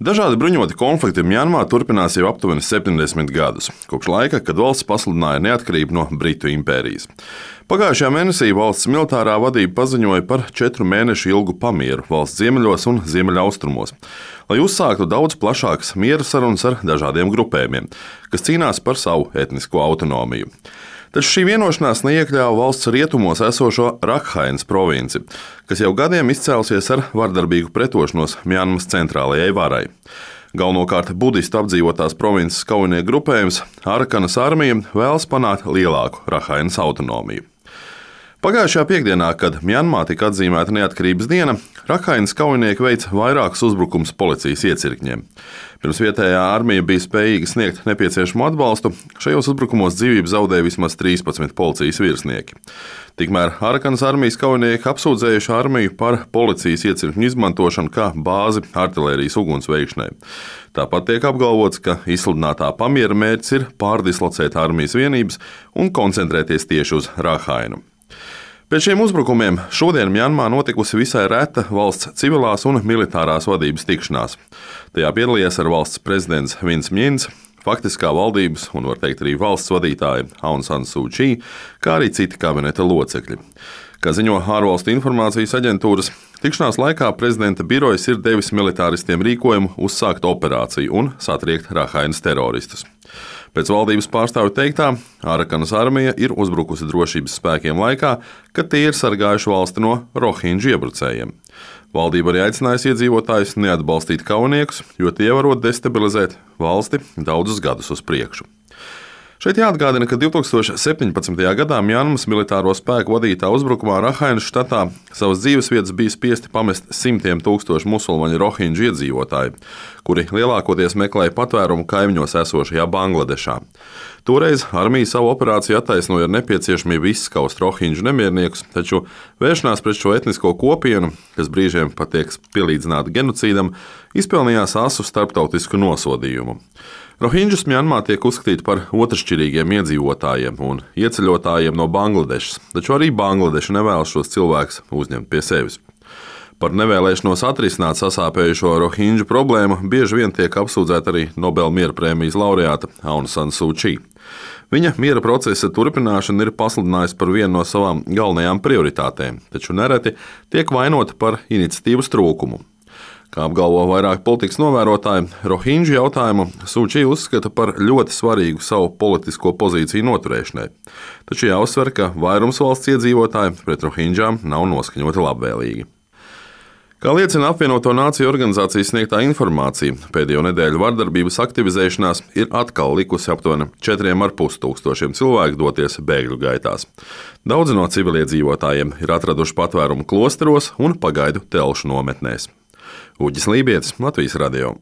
Dažādi bruņoti konflikti Mjanmā turpinās jau aptuveni 70 gadus, kopš laika, kad valsts pasludināja neatkarību no Britu impērijas. Pagājušajā mēnesī valsts militārā vadība paziņoja par 4 mēnešu ilgu pamieru valsts ziemeļos un ziemeļaustrumos, lai uzsāktu daudz plašākas miera sarunas ar dažādiem grupējumiem, kas cīnās par savu etnisko autonomiju. Taču šī vienošanās neiekļāva valsts rietumos esošo Rakhainas provinci, kas jau gadiem izcēlusies ar vardarbīgu pretošanos Mjanmas centrālajai varai. Galvenokārt budistu apdzīvotās provinces kaujinieku grupējums Arakanas armija vēlas panākt lielāku Rakhainas autonomiju. Pagājušajā piekdienā, kad Mjanmā tika atzīmēta neatkarības diena, Rakhainas kaujinieki veica vairākus uzbrukumus policijas iecirkņiem. Pirms vietējā armija bija spējīga sniegt nepieciešamo atbalstu, šajos uzbrukumos dzīvību zaudēja vismaz 13 policijas virsnieki. Tikmēr Arakanas armijas kaujinieki apsūdzējuši armiju par policijas iecirkņu izmantošanu kā bāzi artilērijas uguns veikšanai. Tāpat tiek apgalvots, ka izsludinātā pamiera mērķis ir pārdislocēt armijas vienības un koncentrēties tieši uz Rakhainu. Pēc šiem uzbrukumiem šodien Mjanmā notikusi visai reta valsts civilās un militārās vadības tikšanās. Tajā piedalījās ar valsts prezidents Vins Mjins, faktiskā valdības un, var teikt, arī valsts vadītāja Aung San Suu Kyi, kā arī citi kabineta locekļi. Kā ziņo ārvalstu informācijas aģentūras, tikšanās laikā prezidenta birojas ir devis militāristiem rīkojumu uzsākt operāciju un satriekt Rakhainas teroristus. Pēc valdības pārstāvju teiktā, Arakanas armija ir uzbrukusi drošības spēkiem laikā, kad tie ir sargājuši valsti no rohinģu iebrucējiem. Valdība arī aicinājusi iedzīvotājus neatbalstīt kaujiniekus, jo tie varot destabilizēt valsti daudzus gadus uz priekšu. Šeit jāatgādina, ka 2017. gadā Mjanmas militāro spēku vadītā uzbrukumā Rakhainas štatā savas dzīvesvietas bija spiesti pamest simtiem tūkstošu musulmaņu rohinģu iedzīvotāju, kuri lielākoties meklēja patvērumu kaimiņos esošajā Bangladešā. Toreiz armija savu operāciju attaisnoja ar nepieciešamību izskaust rohinģu nemierniekus, taču vēršanās pret šo etnisko kopienu, kas brīžiem pat tiek pielīdzināta genocīdam, izpelnījās asu starptautisku nosodījumu. Rohinģus Mjanmā tiek uzskatīti par otršķirīgiem iedzīvotājiem un ieceļotājiem no Bangladešas, taču arī Bangladeša nevēlas šos cilvēkus uzņemt pie sevis. Par nevēlēšanos atrisināt sasāpējušo rohinģu problēmu bieži vien tiek apsūdzēta arī Nobela miera prēmijas laureāta Aung San Suu Kyi. Viņa miera procesa turpināšana ir pasludinājusi par vienu no savām galvenajām prioritātēm, taču nereti tiek vainota par iniciatīvas trūkumu. Kā apgalvo vairāk politikas novērotāji, rohinģu jautājumu Suu Kyi uzskata par ļoti svarīgu savu politisko pozīciju noturēšanai. Taču jāuzsver, ka vairums valsts iedzīvotāji pret rohinģām nav noskaņoti labvēlīgi. Kā liecina apvienoto nāciju organizācijas sniegtā informācija, pēdējo nedēļu vardarbības aktivizēšanās ir atkal likusi aptuveni 4,5 tūkstošiem cilvēku doties bēgļu gaitās. Daudzi no civiliedzīvotājiem ir atraduši patvērumu klosteros un pagaidu telšu nometnēs. Uģis Lībietis, Latvijas radio.